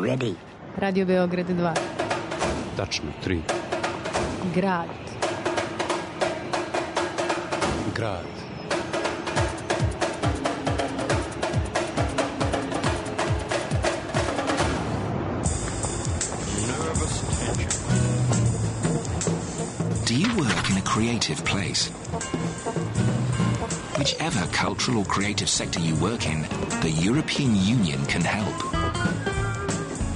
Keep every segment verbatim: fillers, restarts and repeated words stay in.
ready? Radio Beograd dva. Tačno, tri. Grad. Grad. Do you work in a creative place? Whichever cultural or creative sector you work in, the European Union can help.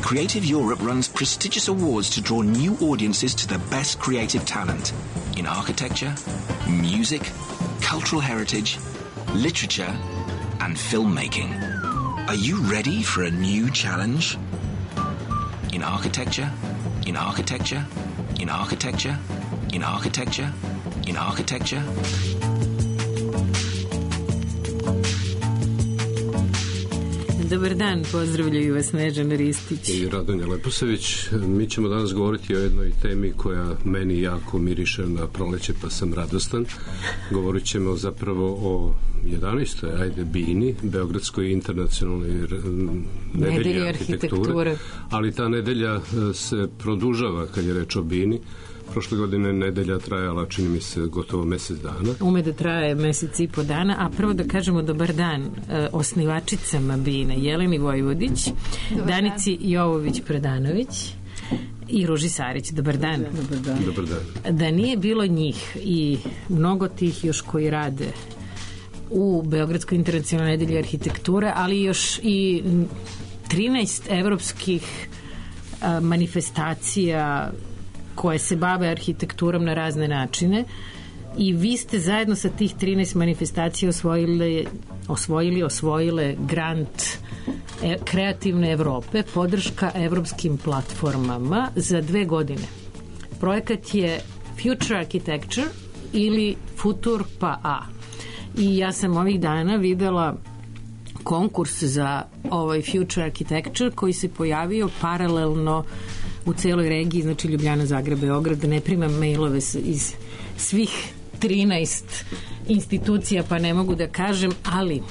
Creative Europe runs prestigious awards to draw new audiences to the best creative talent in architecture, music, cultural heritage, literature, and filmmaking. Are you ready for a new challenge? In architecture, in architecture, in architecture, in architecture, in architecture. Dobar dan, pozdravljaju vas Snežana Ristić i Radonja Leposavić. Mi ćemo danas govoriti o jednoj temi koja meni jako miriše na proleće, pa sam radostan. Govorit ćemo zapravo o jedanaestoj ajde bini, Beogradskoj internacionalnoj nedelji arhitekture, ali ta nedelja se produžava kad je reč o bini. Prošle godine nedelja trajala, čini mi se, gotovo mesec dana. Ume da traje mesec i po dana, a prvo da kažemo dobar dan e, osnivačicama bine, Jeleni Vojvodić, dobar Danici dan. Jovović-Predanović i Ruži Sarić. Dobar dan. Dobar dan. Dobar dan. Da nije bilo njih i mnogo tih još koji rade u Beogradskoj internacionalnoj nedelji arhitekture, ali još i trinaest evropskih a, manifestacija koje se bave arhitekturom na razne načine, i vi ste zajedno sa tih trinaest manifestacija osvojili, osvojili, osvojile grant e, Kreativne Evrope, podrška evropskim platformama za dve godine. Projekat je Future Architecture ili Futur pa A. I ja sam ovih dana videla konkurs za ovaj Future Architecture koji se pojavio paralelno u celoj regiji, znači Ljubljana, Zagreb, Beograd, da ne primam mailove iz svih trinaest institucija, pa ne mogu da kažem, ali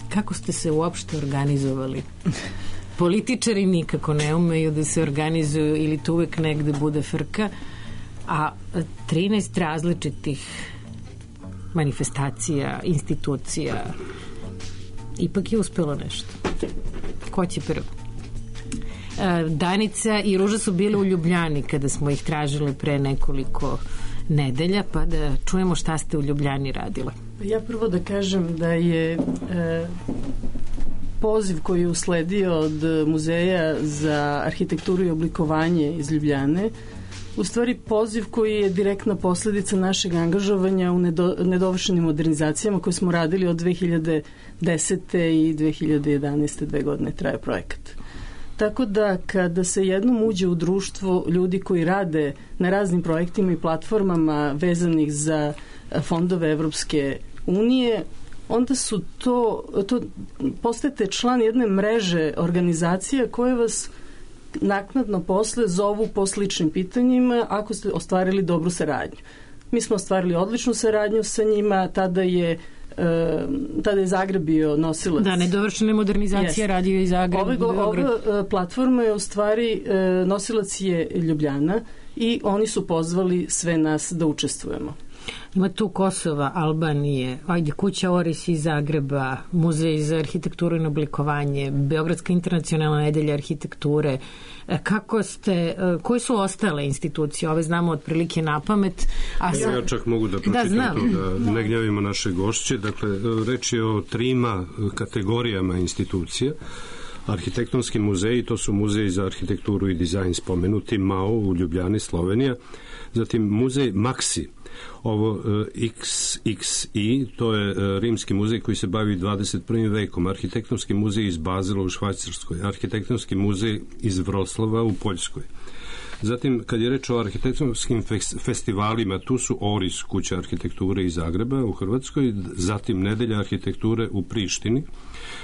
kako ste se uopšte organizovali? Političari nikako ne umeju da se organizuju ili to uvek negde bude frka, a trinaest različitih manifestacija, institucija, ipak je uspelo nešto. Ko će prvo? Danica i Ruža su bile u Ljubljani kada smo ih tražile pre nekoliko nedelja, pa da čujemo šta ste u Ljubljani radile. Ja prvo da kažem da je e, poziv koji je usledio od Muzeja za arhitekturu i oblikovanje iz Ljubljane u stvari poziv koji je direktna posledica našeg angažovanja u nedo, nedovršenim modernizacijama koje smo radili od dve hiljade desete i dve hiljade jedanaeste. Dve godine traje projekat. Tako da kada se jednom uđe u društvo ljudi koji rade na raznim projektima i platformama vezanih za fondove Evropske unije, onda su to, to postajete član jedne mreže organizacija koje vas naknadno posle zovu po sličnim pitanjima ako ste ostvarili dobru saradnju. Mi smo ostvarili odličnu saradnju sa njima, tada je tada je Zagreb bio nosilac. Da, nedovršene modernizacije yes. radio i Zagreb. Ove, ova platforma je u stvari nosilac je Ljubljana i oni su pozvali sve nas da učestvujemo. Ima tu Kosova, Albanije, ajde, Kuća Oris iz Zagreba, Muzej za arhitekturu i oblikovanje, Beogradska internacionalna nedelja arhitekture. Kako ste, koji su ostale institucije? Ove znamo otprilike na pamet. A sam... Ja čak mogu da pročitam da, to, da ne gnjavimo naše gošće. Dakle, reč je o trima kategorijama institucija. Arhitektonski muzeji, to su Muzej za arhitekturu i dizajn spomenuti, M A O u Ljubljani, Slovenija. Zatim Muzej Maxi, ovo X X I, to je rimski muzej koji se bavi dvadeset prvim vekom, arhitektonski muzej iz Bazela u Švajcarskoj, arhitektonski muzej iz Vroslava u Poljskoj. Zatim, kad je reč o arhitektonskim festivalima, tu su Oris, Kuća arhitekture iz Zagreba u Hrvatskoj, zatim Nedelja arhitekture u Prištini,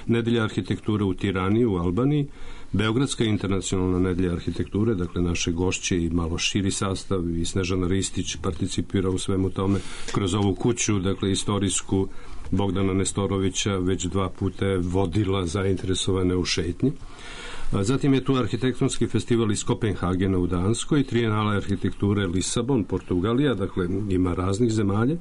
Nedelja arhitekture u Tirani u Albaniji, Beogradska internacionalna nedelja arhitekture, dakle naše gošće i malo širi sastav, i Snežana Ristić participira u svemu tome kroz ovu kuću, dakle istorijsku, Bogdana Nestorovića već dva puta je vodila zainteresovane u šetnji. Zatim je tu arhitektonski festival iz Kopenhagena u Danskoj, Trijenale arhitekture Lisabon, Portugalija, dakle ima raznih zemalja.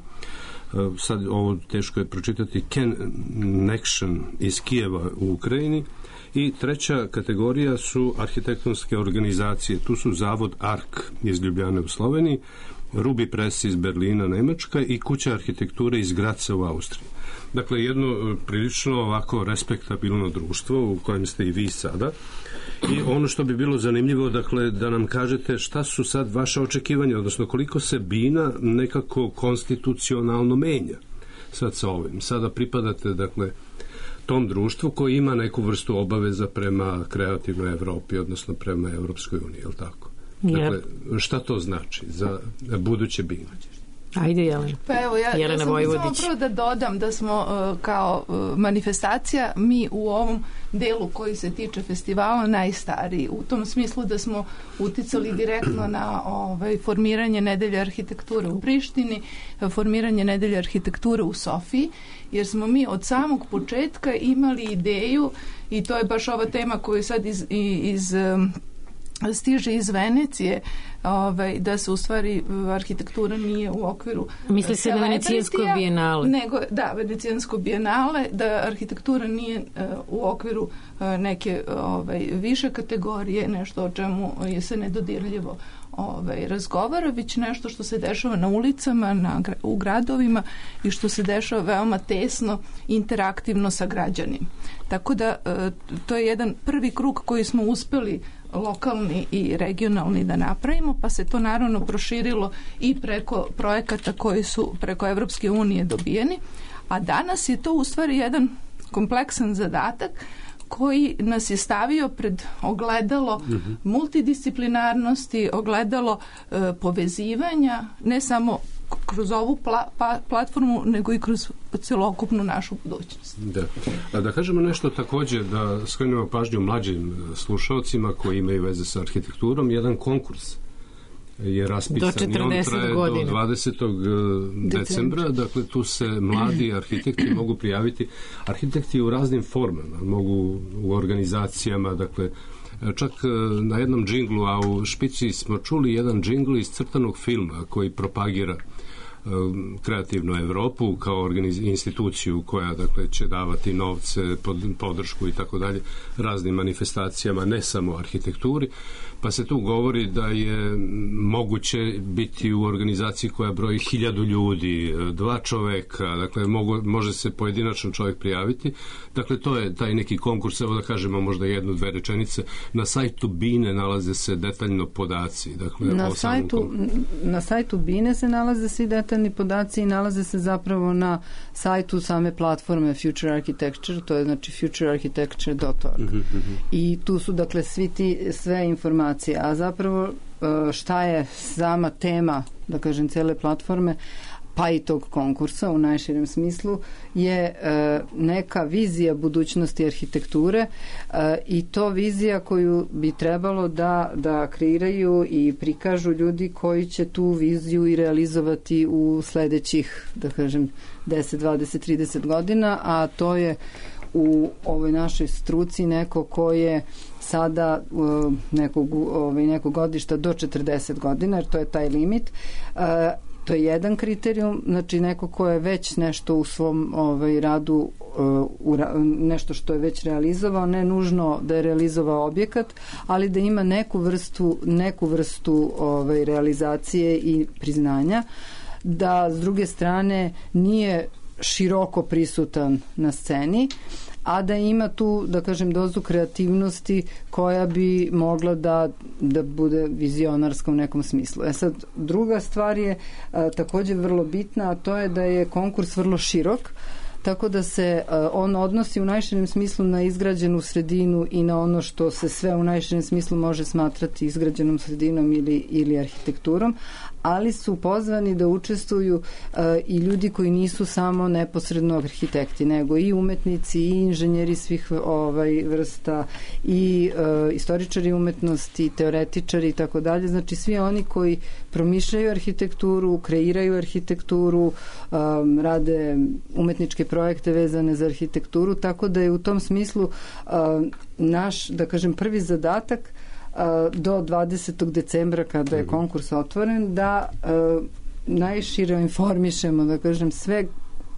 Sad ovo teško je pročitati, Connection iz Kijeva u Ukrajini. I treća kategorija su arhitektonske organizacije. Tu su Zavod Ark iz Ljubljane u Sloveniji, Ruby Press iz Berlina, Nemačka i Kuća arhitekture iz Graca u Austriji. Dakle, jedno prilično ovako respektabilno društvo u kojem ste i vi sada. I ono što bi bilo zanimljivo, dakle, da nam kažete šta su sad vaše očekivanja, odnosno koliko se Bina nekako konstitucionalno menja sad sa ovim. Sada pripadate, dakle, tom društvu koji ima neku vrstu obaveza prema kreativnoj Evropi, odnosno prema Evropskoj uniji, je li tako? Dakle, šta to znači za buduće Bine? Ajde, Jelena. Pa evo, ja, ja sam samo prvo da dodam da smo uh, kao uh, manifestacija, mi u ovom delu koji se tiče festivala najstariji, u tom smislu da smo uticali direktno na ovaj, formiranje Nedelje arhitekture u Prištini, formiranje Nedelje arhitekture u Sofiji, jer smo mi od samog početka imali ideju, i to je baš ova tema koju sad iz, iz um, stiže iz Venecije, ovaj, da se u stvari arhitektura nije u okviru misli se na Venecijansko bijenale, nego, da, Venecijansko bijenale, da arhitektura nije uh, u okviru uh, neke ovaj, više kategorije, nešto o čemu je se nedodirljivo ovaj, razgovara, već nešto što se dešava na ulicama, na, u gradovima i što se dešava veoma tesno, interaktivno sa građanima. Tako da uh, to je jedan prvi krug koji smo uspeli lokalni i regionalni da napravimo, pa se to naravno proširilo i preko projekata koji su preko Evropske unije dobijeni, a danas je to u stvari jedan kompleksan zadatak koji nas je stavio pred ogledalo mm-hmm. multidisciplinarnosti, ogledalo e, povezivanja, ne samo kroz ovu pla, pa, platformu, nego i kroz celokupnu našu budućnost. Da. A da kažemo nešto također, da skrenemo pažnju mlađim slušalcima koji imaju veze sa arhitekturom, jedan konkurs je raspisan i on traje godina. Do dvadesetog decembra, dakle tu se mladi arhitekti mogu prijaviti, arhitekti u raznim formama, mogu u organizacijama, dakle čak na jednom džinglu, a u špici smo čuli jedan džingl iz crtanog filma koji propagira kreativnu Evropu kao organiz, instituciju koja, dakle, će davati novce, pod, podršku i tako dalje raznim manifestacijama, ne samo arhitekturi, pa se tu govori da je moguće biti u organizaciji koja broji hiljadu ljudi, dva čoveka, dakle mogu, može se pojedinačno čovjek prijaviti, dakle to je taj neki konkurs, evo da kažemo možda jednu, dve rečenice, na sajtu Bine nalaze se detaljno podaci, dakle na sajtu, na sajtu Bine se nalaze svi detaljni podaci i nalaze se zapravo na sajtu same platforme Future Architecture, to je znači future architecture dot org. Mm-hmm. I tu su dakle svi ti, sve informacije, a zapravo šta je sama tema, da kažem, cele platforme, pa i tog konkursa u najširem smislu, je neka vizija budućnosti arhitekture i to vizija koju bi trebalo da, da kreiraju i prikažu ljudi koji će tu viziju i realizovati u sledećih, da kažem, deset, dvadeset, trideset godina, a to je u ovoj našoj struci neko ko je sada uh, nekog, ovaj, nekog godišta do četrdeset godina, jer to je taj limit. Uh, to je jedan kriterijum, znači neko ko je već nešto u svom ovaj, radu, uh, u ra, nešto što je već realizovao, ne nužno da je realizovao objekat, ali da ima neku vrstu, neku vrstu ovaj, realizacije i priznanja, da s druge strane nije široko prisutan na sceni, a da ima tu, da kažem, dozu kreativnosti koja bi mogla da, da bude vizionarska u nekom smislu. E sad, druga stvar je a, također vrlo bitna, a to je da je konkurs vrlo širok, tako da se a, on odnosi u najširem smislu na izgrađenu sredinu i na ono što se sve u najširem smislu može smatrati izgrađenom sredinom ili, ili arhitekturom, ali su pozvani da učestvuju uh, i ljudi koji nisu samo neposredno arhitekti, nego i umetnici i inženjeri svih ovaj vrsta i uh, istoričari umetnosti, i teoretičari i tako dalje. Znači svi oni koji promišljaju arhitekturu, kreiraju arhitekturu, um, rade umetničke projekte vezane za arhitekturu, tako da je u tom smislu naš, da kažem, prvi zadatak do dvadesetog decembra kada je konkurs otvoren da najšire informišemo, da kažem, sve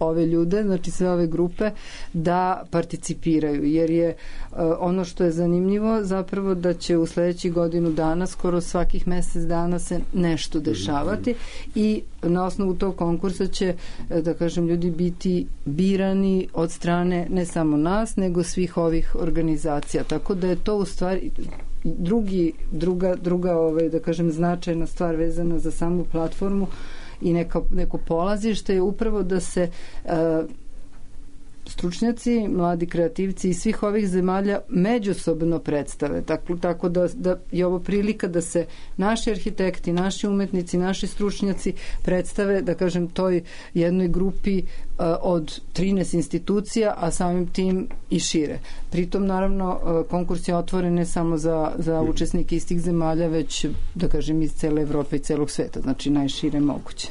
ove ljude, znači sve ove grupe da participiraju, jer je uh, ono što je zanimljivo zapravo da će u sledećih godinu dana skoro svakih mesec dana se nešto dešavati i na osnovu tog konkursa će, da kažem, ljudi biti birani od strane ne samo nas, nego svih ovih organizacija, tako da je to u stvari drugi, druga, druga ovaj, da kažem, značajna stvar vezana za samu platformu i neka, neko polazište je upravo da se uh, stručnjaci, mladi kreativci iz svih ovih zemalja međusobno predstave. Tako, tako da, da je ovo prilika da se naši arhitekti, naši umetnici, naši stručnjaci predstave, da kažem, toj jednoj grupi uh, od trinaest institucija, a samim tim i šire. Pritom, naravno, uh, konkurs je otvoren ne samo za, za učesnike iz tih zemalja, već, da kažem, iz cele Evrope i celog sveta, znači najšire moguće.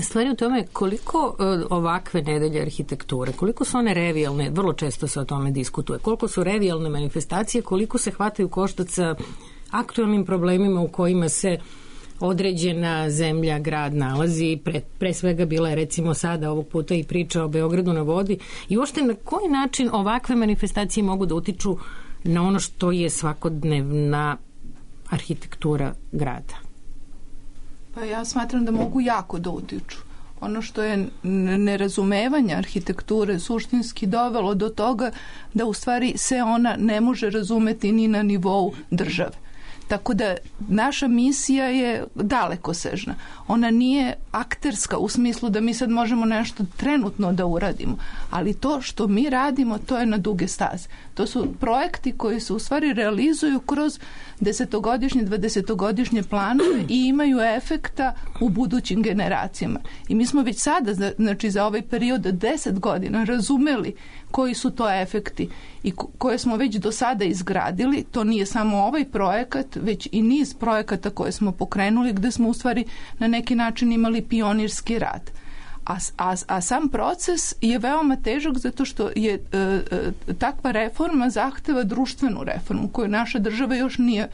Stvari u tome koliko uh, ovakve nedelje arhitekture, koliko su one revijalne, vrlo često se o tome diskutuje, koliko su revijalne manifestacije, koliko se hvataju koštac sa aktualnim problemima u kojima se određena zemlja, grad nalazi, pre, pre svega bila je recimo sada ovog puta i priča o Beogradu na vodi i uopšte na koji način ovakve manifestacije mogu da utiču na ono što je svakodnevna arhitektura grada? Pa ja smatram da mogu jako da utiču. Ono što je nerazumevanje arhitekture suštinski dovelo do toga da u stvari se ona ne može razumeti ni na nivou države. Tako da naša misija je dalekosežna. Ona nije akterska u smislu da mi sad možemo nešto trenutno da uradimo, ali to što mi radimo, to je na duge staze. To su projekti koji se u stvari realizuju kroz desetogodišnje, dvadesetogodišnje planove i imaju efekta u budućim generacijama. I mi smo već sada, znači za ovaj period deset godina, razumeli koji su to efekti i koje smo već do sada izgradili. To nije samo ovaj projekat, već i niz projekata koje smo pokrenuli gde smo u stvari na neki način imali pionirski rad. A, a, a sam proces je veoma težak zato što je e, e, takva reforma zahteva društvenu reformu koju naša država još nije e,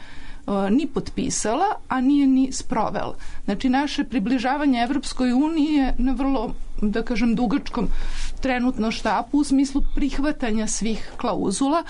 ni potpisala, a nije ni sprovela. Znači naše približavanje Evropskoj uniji je na vrlo, da kažem, dugačkom trenutno štapu u smislu prihvatanja svih klauzula,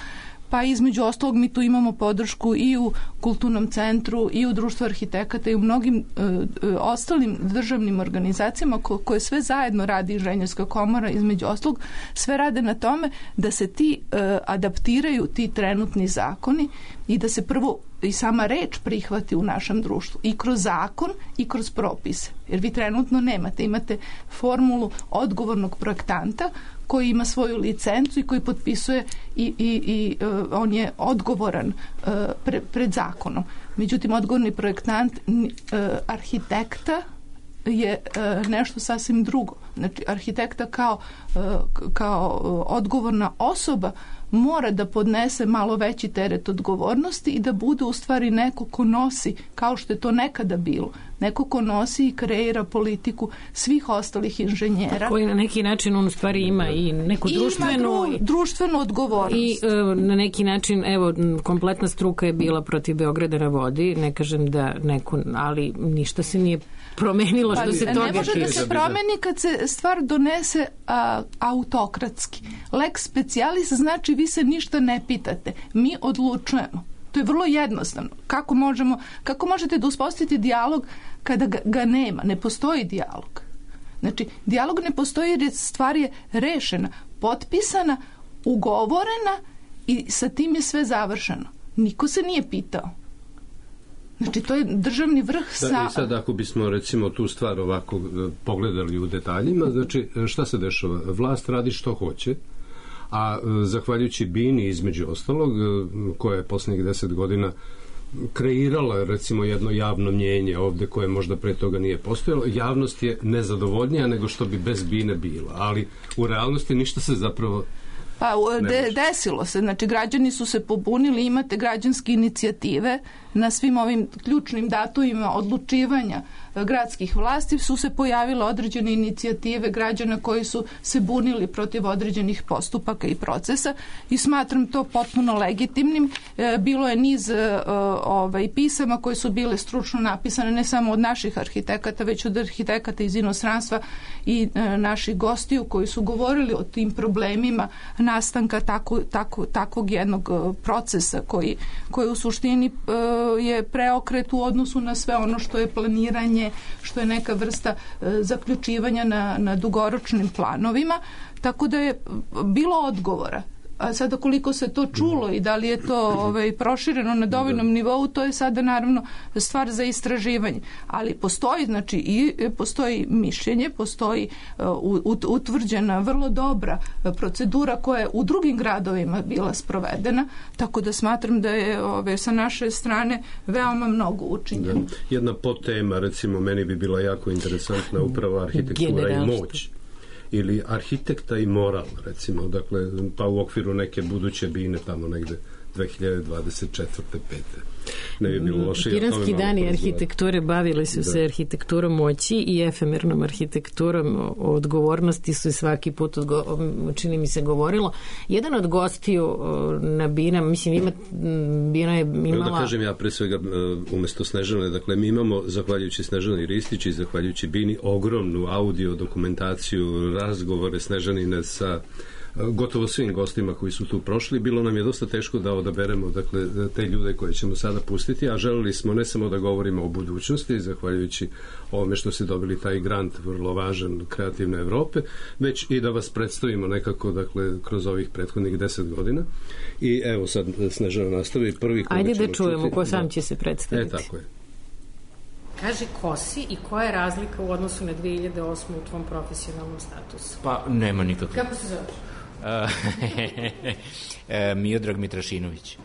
pa između ostalog mi tu imamo podršku i u Kulturnom centru i u Društvu arhitekata i u mnogim e, e, ostalim državnim organizacijama ko, koje sve zajedno radi Inženjerska komora, između ostalog sve rade na tome da se ti e, adaptiraju ti trenutni zakoni i da se prvo i sama reč prihvati u našem društvu i kroz zakon i kroz propise. Jer vi trenutno nemate, imate formulu odgovornog projektanta koji ima svoju licencu i koji potpisuje i, i, i uh, on je odgovoran uh, pre, pred zakonom. Međutim, odgovorni projektant uh, arhitekta je uh, nešto sasvim drugo. Znači, arhitekta kao, uh, kao uh, odgovorna osoba mora da podnese malo veći teret odgovornosti i da bude u stvari neko ko nosi, kao što je to nekada bilo, neko ko nosi i kreira politiku svih ostalih inženjera. Koji na neki način on u stvari ima i neku društvenu... Ima društvenu odgovornost. I e, na neki način, evo, kompletna struka je bila protiv Beograda na vodi, ne kažem da neko, ali ništa se nije promenilo što pa, se toga... Ne može da se promeni kad se stvar donese a, autokratski. Lex specialis znači vi se ništa ne pitate. Mi odlučujemo. To je vrlo jednostavno. Kako možemo, kako možete da uspostavite dijalog kada ga, ga nema? Ne postoji dijalog. Znači, dijalog ne postoji jer stvar je rešena, potpisana, ugovorena i sa tim je sve završeno. Niko se nije pitao. Znači, to je državni vrh sa... Da, i sad ako bismo recimo tu stvar ovako pogledali u detaljima, znači šta se dešava? Vlast radi što hoće, a zahvaljujući Bini između ostalog, koja je poslednjih deset godina kreirala recimo jedno javno mnjenje ovde koje možda pre toga nije postojalo, javnost je nezadovoljnija nego što bi bez Bine bila, ali u realnosti ništa se zapravo Pa de, desilo se, znači građani su se pobunili, imate građanske inicijative na svim ovim ključnim datumima odlučivanja gradskih vlasti su se pojavile određene inicijative građana koji su se bunili protiv određenih postupaka i procesa i smatram to potpuno legitimnim. Bilo je niz ovaj, pisama koje su bile stručno napisane ne samo od naših arhitekata, već od arhitekata iz inostranstva i naših gostiju koji su govorili o tim problemima nastanka tako, tako, takvog jednog procesa koji, koji u suštini je preokret u odnosu na sve ono što je planiranje, što je neka vrsta zaključivanja na, na dugoročnim planovima, tako da je bilo odgovora. A sada koliko se to čulo i da li je to ovaj, prošireno na dovoljnom nivou, to je sada naravno stvar za istraživanje. Ali postoji, znači, i postoji mišljenje, postoji uh, utvrđena vrlo dobra procedura koja je u drugim gradovima bila sprovedena, tako da smatram da je ove, sa naše strane veoma mnogo učinjeno. Jedna podtema, recimo, meni bi bila jako interesantna upravo arhitektura i moć. Ili arhitekta i moral, recimo, dakle, pa u okviru neke buduće bine tamo negde dve hiljade dvadeset četvrte pete Ne bi bilo loše. Piranski dani arhitekture bavili su da. se arhitekturom moći i efemernom arhitekturom odgovornosti su svaki put odgo, čini mi se govorilo. Jedan od gostiju na Bina, mislim, ima, Bina je imala... Da kažem ja pre svega umesto Snežane, dakle mi imamo, zahvaljujući Snežani Ristić i zahvaljujući Bini, ogromnu audio dokumentaciju, razgovore Snežanine sa gotovo svim gostima koji su tu prošli. Bilo nam je dosta teško da odaberemo dakle, te ljude koje ćemo sada pustiti, a želeli smo ne samo da govorimo o budućnosti, zahvaljujući ovome što ste dobili taj grant vrlo važan Kreativne Evrope, već i da vas predstavimo nekako dakle, kroz ovih prethodnih deset godina. I evo sad Snežana nastavi prvi koji Ajde ćemo da čujemo čuti, ko sam da. će se predstaviti. E, tako je. Kaži ko si i koja je razlika u odnosu na dve hiljade osme u tvom profesionalnom statusu? Pa nema nikakve. Kako se zoveš? Miodrag Mitrašinović.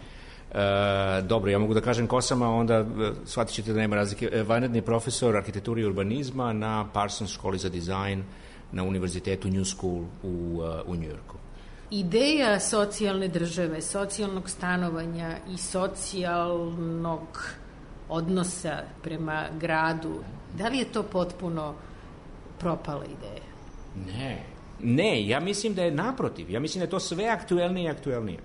Dobro, ja mogu da kažem ko sam, a onda shvatit ćete da nema razlike. Vanredni profesor arhitekture i urbanizma na Parsons školi za dizajn na univerzitetu New School u, u Njujorku. Ideja socijalne države, socijalnog stanovanja i socijalnog odnosa prema gradu, da li je to potpuno propala ideja? Ne. Ne, ja mislim da je naprotiv. Ja mislim da je to sve aktuelnije i aktuelnije.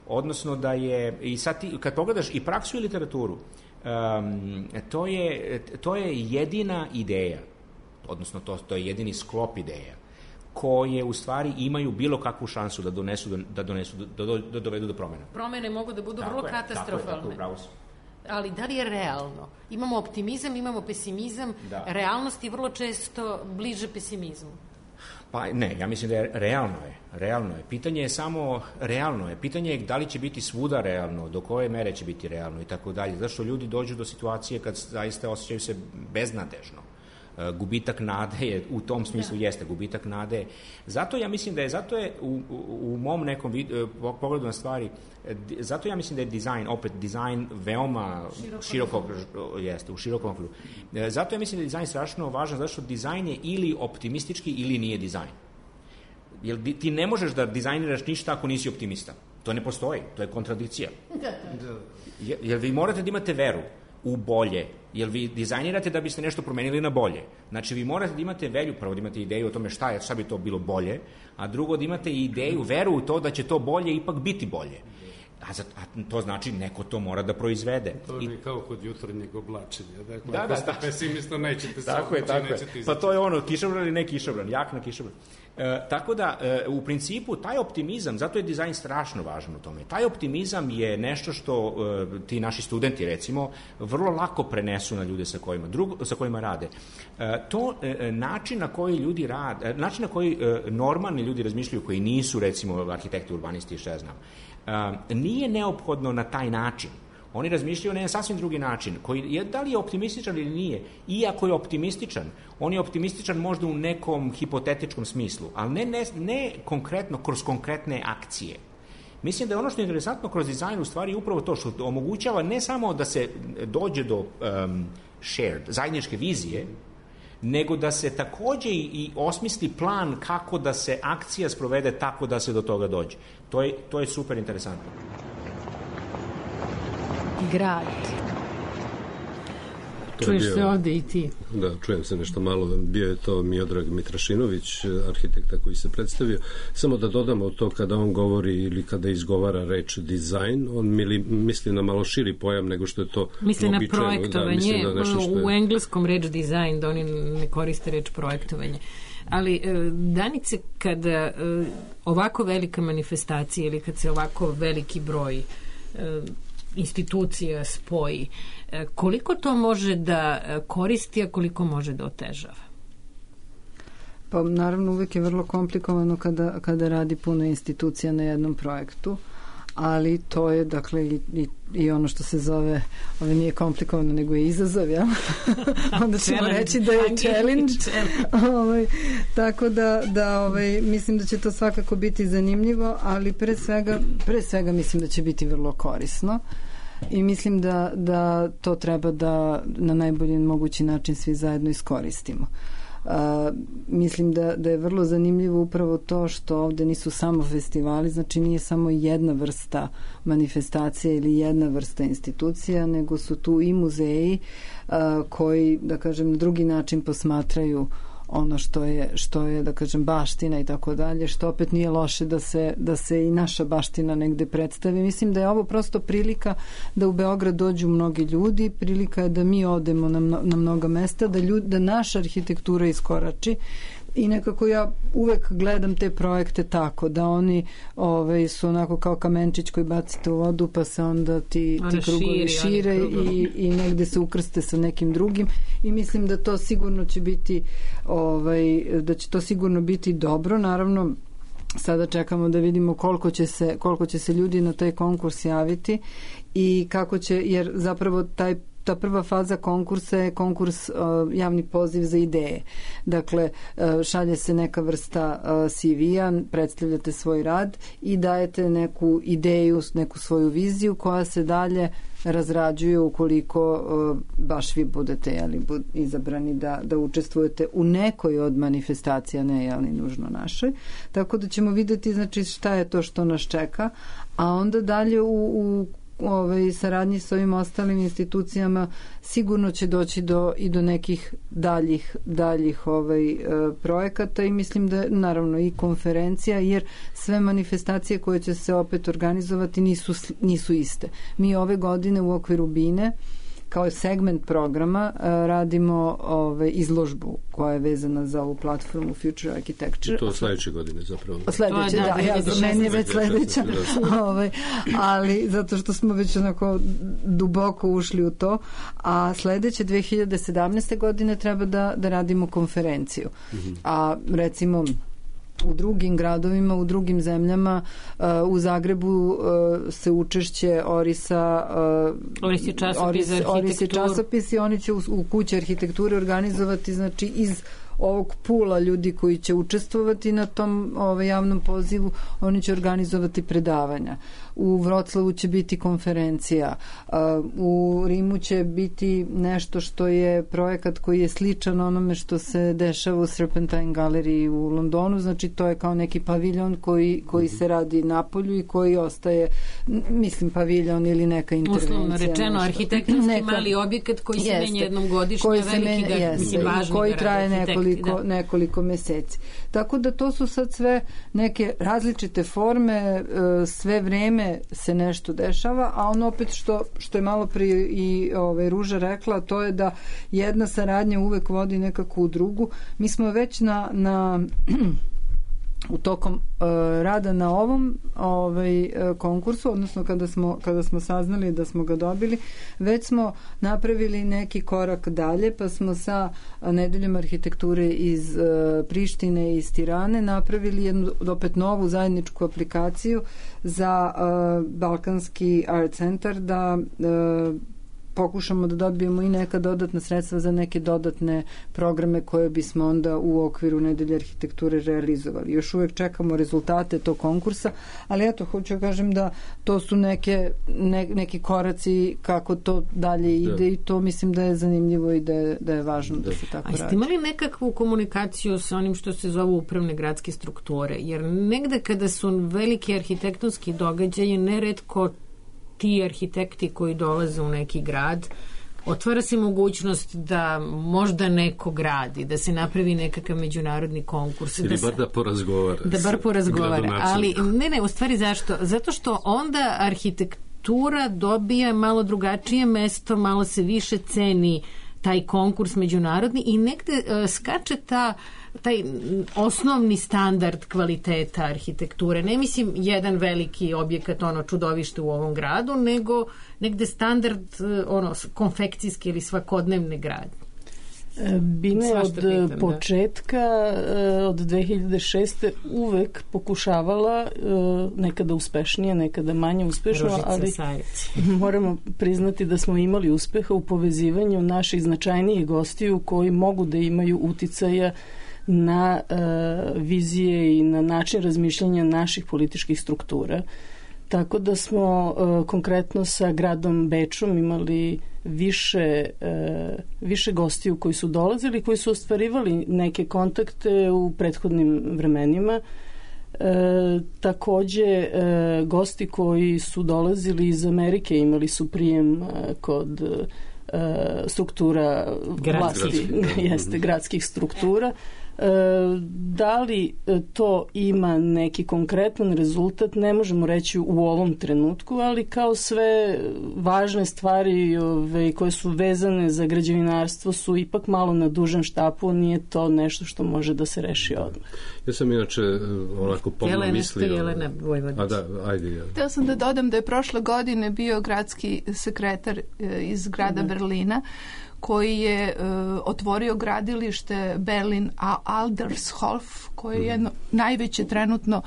Odnosno da je, i sad ti, kad pogledaš i praksu i literaturu, um, to, je, to je jedina ideja, odnosno to, to je jedini sklop ideja, koje u stvari imaju bilo kakvu šansu da donesu, da, donesu, da, do, da dovedu do promena. Promene mogu da budu tako vrlo je, katastrofalne. Tako je, tako je, bravo si. Ali da li je realno? Imamo optimizam, imamo pesimizam, da. Realnost je vrlo često bliže pesimizmu. Pa ne, ja mislim da je realno je, realno je. Pitanje je samo realno je. Pitanje je da li će biti svuda realno, do koje mere će biti realno i tako dalje. Zašto ljudi dođu do situacije kad zaista osjećaju se beznadežno. Gubitak nade je, u tom smislu jeste, gubitak nade. Zato ja mislim da je, zato je u, u, u mom nekom vid, pogledu na stvari, zato ja mislim da je dizajn, opet dizajn veoma širokog, jeste, u širokom okviru. Zato ja mislim da je dizajn strašno važan, zato što dizajn je ili optimistički ili nije dizajn. Jer ti ne možeš da dizajniraš ništa ako nisi optimista. To ne postoji, to je kontradikcija. Jer vi morate da imate veru u bolje, jer vi dizajnirate da biste nešto promenili na bolje. Znači, vi morate da imate velju, prvo da imate ideju o tome šta je, šta bi to bilo bolje, a drugo da imate ideju, veru u to da će to bolje ipak biti bolje. A, za, a to znači neko to mora da proizvede. To je I, kao kod jutarnjeg oblačenja. Dakle, da, ako da, ste da. pesimista, nećete se tako je, tako je. Pa to je ono, kišobran ili ne kišobran, jak na kišobran. E, tako da, e, u principu, taj optimizam, zato je dizajn strašno važan u tome. Taj optimizam je nešto što e, ti naši studenti, recimo, vrlo lako prenesu na ljude sa kojima, drugo, sa kojima rade. E, to e, način na koji ljudi rade, način na koji e, normalni ljudi razmišljaju, koji nisu, recimo, arhitekti, urbanisti, što ja znam, e, nije neophodno na taj način. Oni razmišljaju na jedan sasvim drugi način, koji je, da li je optimističan ili nije. Iako je optimističan, on je optimističan možda u nekom hipotetičkom smislu, ali ne, ne, ne konkretno, kroz konkretne akcije. Mislim da je ono što je interesantno kroz dizajn u stvari upravo to što omogućava ne samo da se dođe do um, shared, zajedničke vizije, nego da se takođe i osmisli plan kako da se akcija sprovede tako da se do toga dođe. To je, to je super interesantno. Grad. Čuješ bio, se ovde i ti. Da, čujem se nešto malo. Bio je to Miodrag Mitrašinović, arhitekta koji se predstavio. Samo da dodamo to kada on govori ili kada izgovara reč dizajn, on mili, misli na malo širi pojam nego što je to misli na projektovanje. Da, na što je... U engleskom reč dizajn, da oni ne koriste reč projektovanje. Ali, Danice, kada ovako velika manifestacija ili kad se ovako veliki broj institucija spoji, koliko to može da koristi, a koliko može da otežava? Pa naravno uvek je vrlo komplikovano kada, kada radi puno institucija na jednom projektu, ali to je dakle i, i, i ono što se zove, ovo nije komplikovano nego je izazov, ja? Onda ćemo reći da je challenge. ovaj, tako da, da ovaj, mislim da će to svakako biti zanimljivo, ali pre svega, pre svega mislim da će biti vrlo korisno. I mislim da, da to treba da na najbolji mogući način svi zajedno iskoristimo. Uh, mislim da, da je vrlo zanimljivo upravo to što ovde nisu samo festivali, znači nije samo jedna vrsta manifestacija ili jedna vrsta institucija, nego su tu i muzeji uh, koji, da kažem, na drugi način posmatraju ono što je, što je, da kažem, baština i tako dalje, što opet nije loše da se, da se i naša baština negde predstavi. Mislim da je ovo prosto prilika da u Beograd dođu mnogi ljudi, prilika je da mi odemo na, na mnoga mesta, da, ljud, da naša arhitektura iskorači. I nekako ja uvek gledam te projekte tako, da oni ovaj, su onako kao kamenčić koji bacite u vodu, pa se onda ti, ti krugovi šire i, i negde se ukrste sa nekim drugim i mislim da to sigurno će biti ovaj, da će to sigurno biti dobro. Naravno, sada čekamo da vidimo koliko će se, koliko će se ljudi na taj konkurs javiti i kako će, jer zapravo taj ta prva faza konkursa je konkurs uh, javni poziv za ideje. Dakle, uh, šalje se neka vrsta uh, C V-a, predstavljate svoj rad i dajete neku ideju, neku svoju viziju koja se dalje razrađuje ukoliko uh, baš vi budete jeli, bud, izabrani da, da učestvujete u nekoj od manifestacija, ne jeli, nužno našoj. Tako da ćemo videti znači, šta je to što nas čeka, a onda dalje u, u ovaj, saradnji s ovim ostalim institucijama sigurno će doći do, i do nekih daljih, daljih ovaj, projekata i mislim da naravno i konferencija, jer sve manifestacije koje će se opet organizovati nisu, nisu iste. Mi ove godine u okviru Bine kao segment programa uh, radimo ove, izložbu koja je vezana za ovu platformu Future Architecture. I to sledeće godine zapravo. Sledeće, da, da, ja, za meni je već sledeća. Ove, ali zato što smo već onako duboko ušli u to, a sledeće dve hiljade sedamnaeste godine treba da, da radimo konferenciju. Mm-hmm. A recimo u drugim gradovima, u drugim zemljama, uh, u Zagrebu uh, se učešće Orisa uh, Orisi časopis, Oris, Orisi časopis i oni će u, u kući arhitekture organizovati znači iz ovog pula ljudi koji će učestvovati na tom ovaj, javnom pozivu, oni će organizovati predavanja. U Vroclavu će biti konferencija. U Rimu će biti nešto što je projekat koji je sličan onome što se dešava u Serpentine Gallery u Londonu, znači to je kao neki paviljon koji, koji se radi napolju i koji ostaje, mislim, paviljon ili neka intervencija. Uslovno rečeno, arhitektonski neka, mali objekat koji se menja jednom godišnje, veliki ga, jeste, mislim, važni koji traje nekoliko, da. nekoliko meseci. Tako da to su sad sve neke različite forme, sve vreme se nešto dešava, a ono opet što, što je malo prije i ovaj, Ruža rekla, to je da jedna saradnja uvek vodi nekako u drugu. Mi smo već na, na u tokom uh, rada na ovom ovaj, uh, konkursu, odnosno kada smo, kada smo saznali da smo ga dobili, već smo napravili neki korak dalje, pa smo sa Nedeljom arhitekture iz uh, Prištine i iz Tirane napravili jednu opet novu zajedničku aplikaciju za uh, Balkanski art centar da uh, pokušamo da dobijemo i neka dodatna sredstva za neke dodatne programe koje bismo onda u okviru Nedelje arhitekture realizovali. Još uvek čekamo rezultate tog konkursa, ali eto, hoću da kažem da to su neke, ne, neki koraci kako to dalje ide da. I to mislim da je zanimljivo i da je, da je važno da, da se tako radi. A ste imali nekakvu komunikaciju sa onim što se zovu upravne gradske strukture? Jer negde kada su veliki arhitektonski događaji, neretko ti arhitekti koji dolaze u neki grad, otvara se mogućnost da možda neko gradi, da se napravi nekakav međunarodni konkurs. Ili da bar da porazgovara. Da bar porazgovara. Ali ne, ne, u stvari zašto? Zato što onda arhitektura dobija malo drugačije mesto, malo se više ceni taj konkurs međunarodni i negde uh, skače ta taj osnovni standard kvaliteta arhitekture. Ne mislim jedan veliki objekat, ono čudovište u ovom gradu, nego negde standard ono konfekcijski ili svakodnevne gradnje. Bine od pitam, početka, da. Od dve hiljade šeste uvek pokušavala, nekada uspešnije, nekada manje uspešno, Ružica ali Sajic. Moramo priznati da smo imali uspeha u povezivanju naših značajnijih gostiju koji mogu da imaju uticaja na uh, vizije i na način razmišljanja naših političkih struktura. Tako da smo uh, konkretno sa gradom Bečom imali više, uh, više gostiju koji su dolazili, koji su ostvarivali neke kontakte u prethodnim vremenima. E, takođe e, gosti koji su dolazili iz Amerike imali su prijem e, kod e, struktura vlasti, jeste, gradskih struktura. Da li to ima neki konkretan rezultat, ne možemo reći u ovom trenutku, ali kao sve važne stvari ove, koje su vezane za građevinarstvo su ipak malo na dužem štapu, nije to nešto što može da se reši odmah. Ja sam inače onako pomno mislio... Jelena Vojvodić. A da, ajde. Ja. Htio sam da dodam da je prošle godine bio gradski sekretar iz grada da. Berlina, koji je uh, otvorio gradilište Berlin Aldershof, koje je jedno najveće trenutno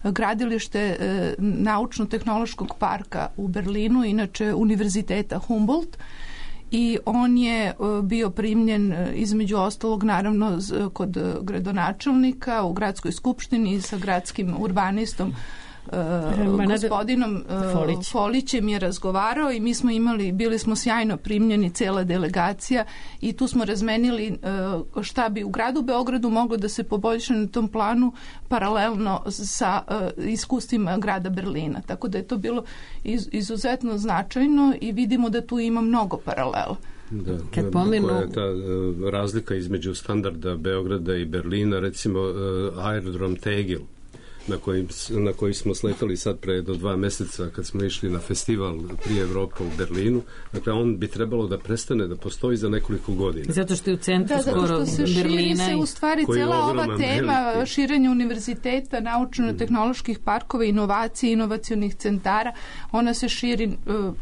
gradilište uh, naučno-tehnološkog parka u Berlinu, inače univerziteta Humboldt. I on je uh, bio primljen uh, između ostalog naravno z, kod uh, gradonačelnika u gradskoj skupštini sa gradskim urbanistom Uh, gospodinom uh, Folić. Folićem je razgovarao i mi smo imali, bili smo sjajno primljeni, cela delegacija, i tu smo razmenili uh, šta bi u gradu Beogradu moglo da se poboljša na tom planu paralelno sa uh, iskustvima grada Berlina. Tako da je to bilo iz, izuzetno značajno i vidimo da tu ima mnogo paralela. Da, Kad pomenu... koja je ta uh, razlika između standarda Beograda i Berlina, recimo uh, aerodrom Tegel, na koji, na koji smo sletali sad pre do dva meseca kad smo išli na festival prije Evropa u Berlinu. Dakle, on bi trebalo da prestane da postoji za nekoliko godina. Zato što je u centru da, skoro Berlina. Da, zato što se širi se u stvari cela ova tema veliki. Širenja univerziteta, naučno-tehnoloških parkova, inovacije, inovacionih centara, ona se širi uh,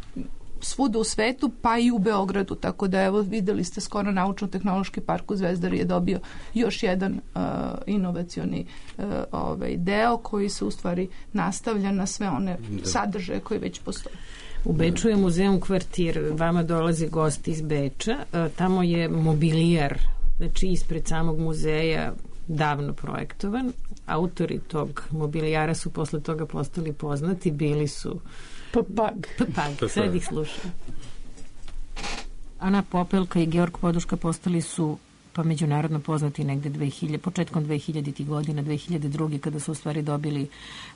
svuda u svetu, pa i u Beogradu, tako da evo videli ste skoro naučno-tehnološki park u Zvezdari je dobio još jedan uh, inovacioni uh, ovaj, deo koji se u stvari nastavlja na sve one da. sadržaje koji već postoje. U Beču je muzeum Kvartir, vama dolazi gost iz Beča, uh, tamo je mobilijar, znači ispred samog muzeja davno projektovan, autori tog mobilijara su posle toga postali poznati, bili su Papag. Papag, sad ih slušam. Ana Popelka i Georg Poduška postali su pa međunarodno poznati negde dve hiljade, početkom dve hiljaditih godina, dve hiljade druge kada su u stvari dobili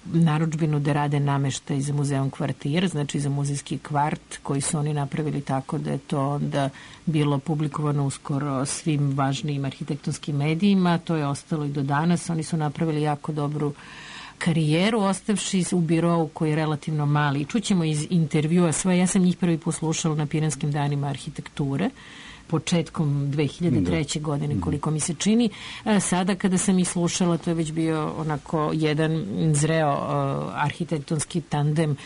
narudžbinu da rade nameštaj za muzeum Kvartir, znači za muzejski kvart koji su oni napravili tako da je to onda bilo publikovano uskoro svim važnijim arhitektonskim medijima, to je ostalo i do danas, oni su napravili jako dobru karijeru, ostavši u birovu koji je relativno mali. I čućemo iz intervjua svoje, ja sam njih prvi poslušala na Piranskim danima arhitekture, početkom dve hiljade treće. Da. godine, koliko mi se čini. Sada kada sam ih slušala, to je već bio onako jedan zreo uh, arhitektonski tandem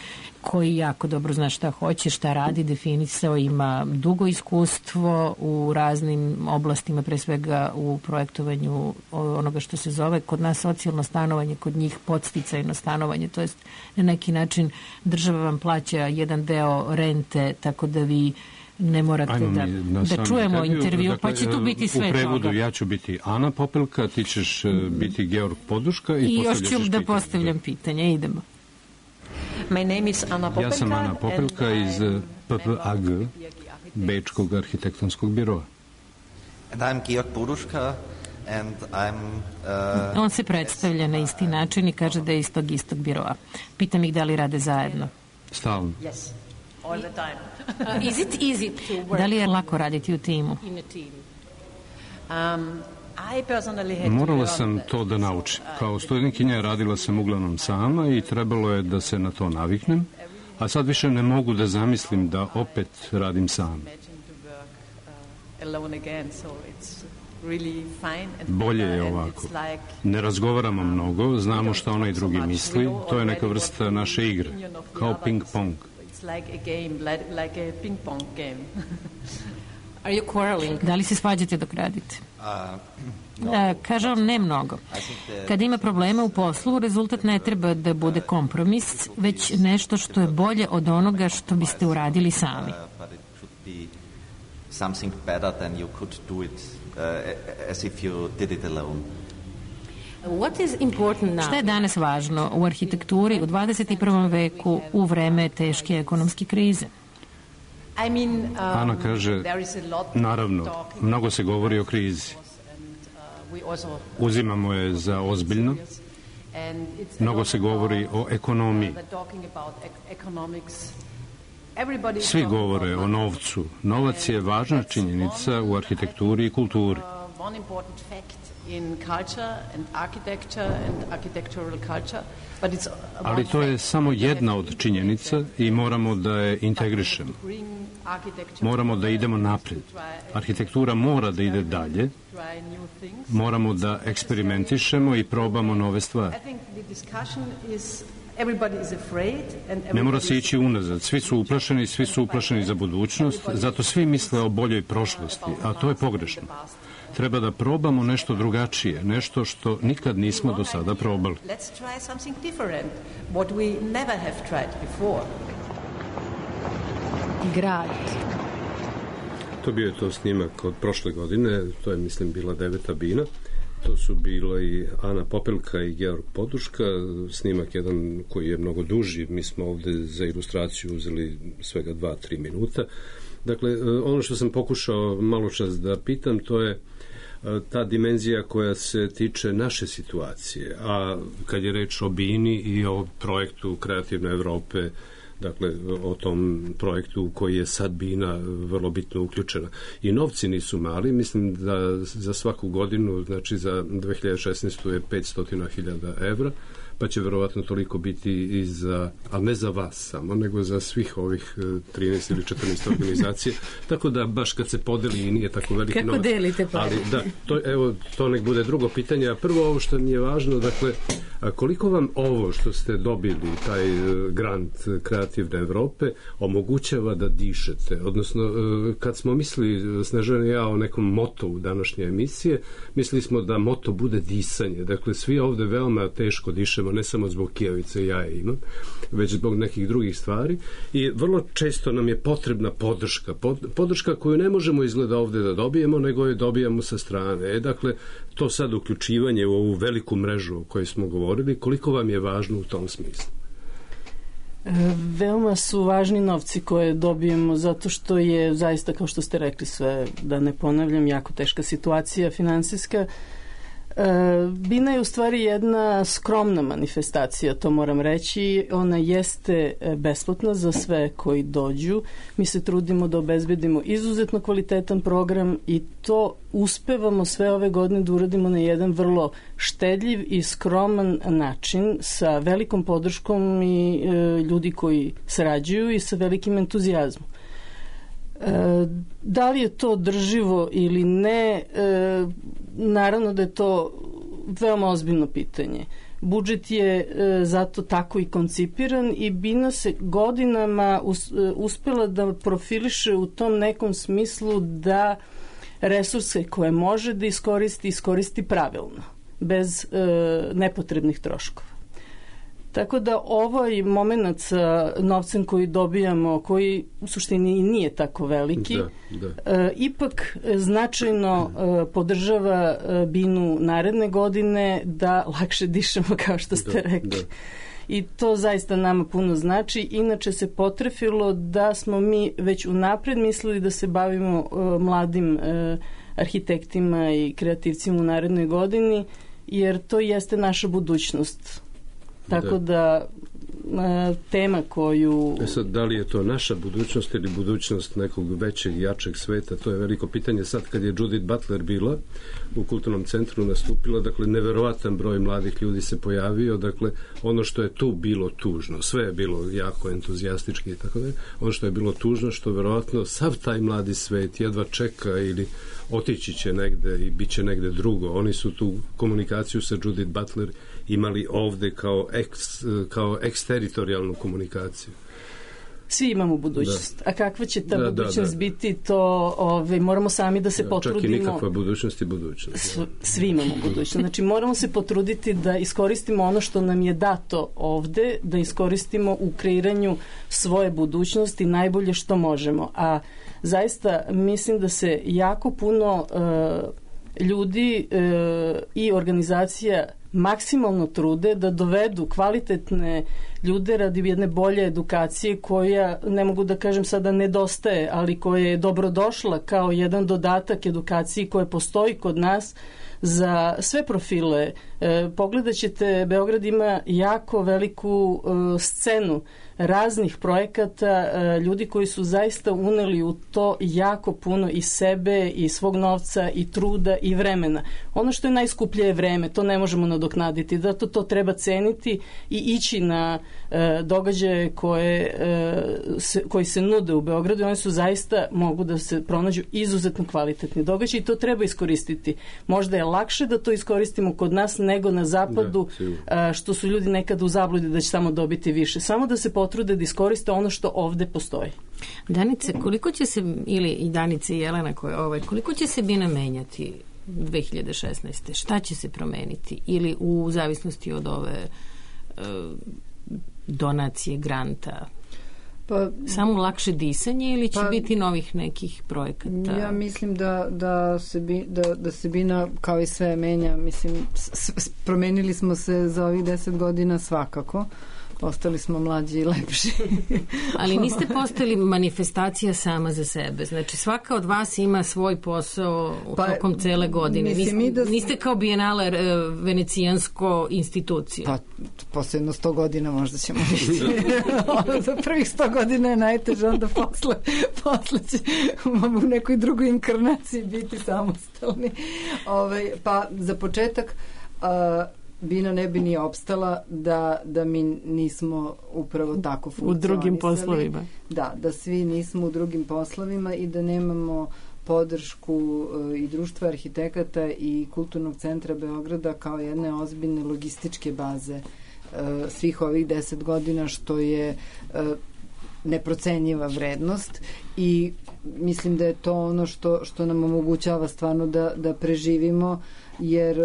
koji jako dobro zna šta hoće, šta radi, definisao, ima dugo iskustvo u raznim oblastima, pre svega u projektovanju onoga što se zove kod nas socijalno stanovanje, kod njih podsticajno stanovanje, to jest na neki način država vam plaća jedan deo rente, tako da vi ne morate da, da čujemo intervju, intervju dakle, pa će tu biti sve toga. U prevodu toga. Ja ću biti Ana Popelka, ti ćeš biti Georg Poduška i, I još ću da postavljam pitanje. Idemo. My name is Ana Popelka. Ja sam Ana Popelka iz P P A G, Bečkog arhitektonskog biroa. And I'm Georg Poduška. And I'm, uh, On se predstavlja na isti način i kaže da je iz tog istog biroa. Pitam ih da li rade zajedno. Stalno. Yes, all the time. uh, is it easy to work? Da li je lako raditi u timu? In a team. Um, I personally had Morala sam to da naučim. Kao studentkinja radila sam uglavnom sama i trebalo je da se na to naviknem, a sad više ne mogu da zamislim da opet radim sam. Bolje je ovako. Ne razgovaramo mnogo, znamo šta onaj drugi misli, to je neka vrsta naše igre, kao ping-pong. Are you quarreling? Da li se svađate dok radite? Da, kaže on, ne mnogo. Kada ima problema u poslu, rezultat ne treba da bude kompromis, već nešto što je bolje od onoga što biste uradili sami. Something better than you could do it uh, as if you did it alone. What is important now? Šta je danas važno u arhitekturi u dvadeset i prvom veku u vreme teške ekonomske krize? I mean, um, Ana kaže, naravno, mnogo se govori o krizi. Uzimamo je za ozbiljno. Mnogo se govori o ekonomiji. Svi govore o novcu. Novac je važna činjenica u arhitekturi i kulturi. Ali to je samo jedna od činjenica i moramo da je integrišemo. Moramo da idemo naprijed. Arhitektura mora da ide dalje. Moramo da eksperimentišemo i probamo nove stvari. Ne mora se ići unazad. Svi su uplašeni, svi su uplašeni za budućnost, zato svi misle o boljoj prošlosti, a to je pogrešno. Treba da probamo nešto drugačije, nešto što nikad nismo do sada probali. Grad. To bio je to snimak od prošle godine, to je, mislim, bila deveta bina. To su bilo i Ana Popelka i Georg Poduška, snimak jedan koji je mnogo duži, mi smo ovde za ilustraciju uzeli svega dva, tri minuta. Dakle, ono što sam pokušao malo čas da pitam, to je ta dimenzija koja se tiče naše situacije, a kad je reč o bini i o projektu Kreativne Evrope, dakle, o tom projektu koji je sad bina vrlo bitno uključena. I novci nisu mali, mislim da za svaku godinu, znači za dve hiljade šesnaestu je petsto hiljada evra, pa će verovatno toliko biti i za, ali ne za vas samo, nego za svih ovih trinaest ili četrnaest organizacija, tako da baš kad se podeli i nije tako veliki novac. Kako delite pa? Ali da, to, evo, to nek bude drugo pitanje, a prvo ovo što mi je važno, dakle, a koliko vam ovo što ste dobili, taj grant Kreativne Evrope, omogućava da dišete? Odnosno, kad smo mislili, Snežana i ja, o nekom motovu današnje emisije, mislili smo da moto bude disanje. Dakle, svi ovde veoma teško dišemo, ne samo zbog kijavice ja je imam, već zbog nekih drugih stvari i vrlo često nam je potrebna podrška. Podrška koju ne možemo izgleda ovde da dobijemo, nego je dobijamo sa strane. E, dakle, to sad uključivanje u ovu veliku mrežu o kojoj smo govorili, koliko vam je važno u tom smislu? Veoma su važni novci koje dobijemo zato što je zaista, kao što ste rekli, sve, da ne ponavljam, jako teška situacija finansijska. Bina je u stvari jedna skromna manifestacija, to moram reći. Ona jeste besplatna za sve koji dođu. Mi se trudimo da obezbedimo izuzetno kvalitetan program i to uspevamo sve ove godine da uradimo na jedan vrlo štedljiv i skroman način sa velikom podrškom i e, ljudi koji sarađuju i sa velikim entuzijazmom. E, da li je to održivo ili ne, e, naravno da je to veoma ozbiljno pitanje. Budžet je e, zato tako i koncipiran i Bina se godinama us, e, uspela da profiliše u tom nekom smislu da resurse koje može da iskoristi, iskoristi pravilno, bez e, nepotrebnih troškova. Tako da ovaj moment sa novcem koji dobijamo, koji u suštini nije tako veliki, da, da. E, ipak značajno e, podržava e, Binu naredne godine da lakše dišemo, kao što ste da, rekli. Da. I to zaista nama puno znači. Inače se potrefilo da smo mi već unapred mislili da se bavimo e, mladim e, arhitektima i kreativcima u narednoj godini, jer to jeste naša budućnost. Tako da, da tema koju... E sad, da li je to naša budućnost ili budućnost nekog većeg, jačeg sveta, to je veliko pitanje. Sad kad je Judith Butler bila u Kulturnom centru nastupila, dakle, neverovatan broj mladih ljudi se pojavio, dakle, ono što je tu bilo tužno, sve je bilo jako entuzijastički i tako da, ono što je bilo tužno, što verovatno sav taj mladi svet jedva čeka ili otići će negde i bit će negde drugo. Oni su tu komunikaciju sa Judith Butler imali ovde kao, eks, kao eksteritorijalnu komunikaciju. Svi imamo budućnost. Da. A kakva će ta da, budućnost da, da. biti, to ove, moramo sami da se da, potrudimo. Čak i nikakva budućnost i budućnost. S, svi imamo budućnost. Znači moramo se potruditi da iskoristimo ono što nam je dato ovde, da iskoristimo u kreiranju svoje budućnosti najbolje što možemo. A zaista mislim da se jako puno uh, ljudi uh, i organizacija maksimalno trude da dovedu kvalitetne ljude radi jedne bolje edukacije koja, ne mogu da kažem sada nedostaje, ali koja je dobrodošla kao jedan dodatak edukaciji koja postoji kod nas za sve profile. E, pogledat ćete, Beograd ima jako veliku e, scenu raznih projekata, e, ljudi koji su zaista uneli u to jako puno i sebe i svog novca i truda i vremena. Ono što je najskuplje je vreme, to ne možemo nadoknaditi, zato to treba ceniti i ići na e, događaje koje, e, se, koji se nude u Beogradu. Oni su zaista, mogu da se pronađu izuzetno kvalitetni događaji i to treba iskoristiti. Možda je lakše da to iskoristimo kod nas nego na zapadu, da, što su ljudi nekad u zabludi da će samo dobiti više. Samo da se potrude da iskoriste ono što ovde postoji. Danice, koliko će se, ili i Danice i Jelena, koje, ovaj, koliko će se Bina menjati dve hiljade šesnaeste. Šta će se promeniti? Ili u zavisnosti od ove uh, donacije, granta? Pa, samo lakše disanje ili će pa, biti novih nekih projekata? Ja mislim da, da, se, bi, da, da se Bina kao i sve menja. Mislim, s, s, promenili smo se za ovih deset godina svakako. Postali smo mlađi i lepši. Ali niste postali manifestacija sama za sebe. Znači svaka od vas ima svoj posao u pa, tokom cele godine. Niste, mi da... niste kao Bienale venecijansko institucija. Pa posle jedno sto godina možda ćemo biti. Za prvih sto godina je najteže, onda posle, posle će u nekoj drugoj inkarnaciji biti samostalni. Ove, pa za početak a, Bina ne bi ni opstala da, da mi nismo upravo tako funkcionisali. U drugim poslovima. Da, da svi nismo u drugim poslovima i da nemamo podršku uh, i društva arhitekata i Kulturnog centra Beograda kao jedne ozbiljne logističke baze uh, svih ovih deset godina, što je uh, neprocenjiva vrednost i mislim da je to ono što, što nam omogućava stvarno da, da preživimo, jer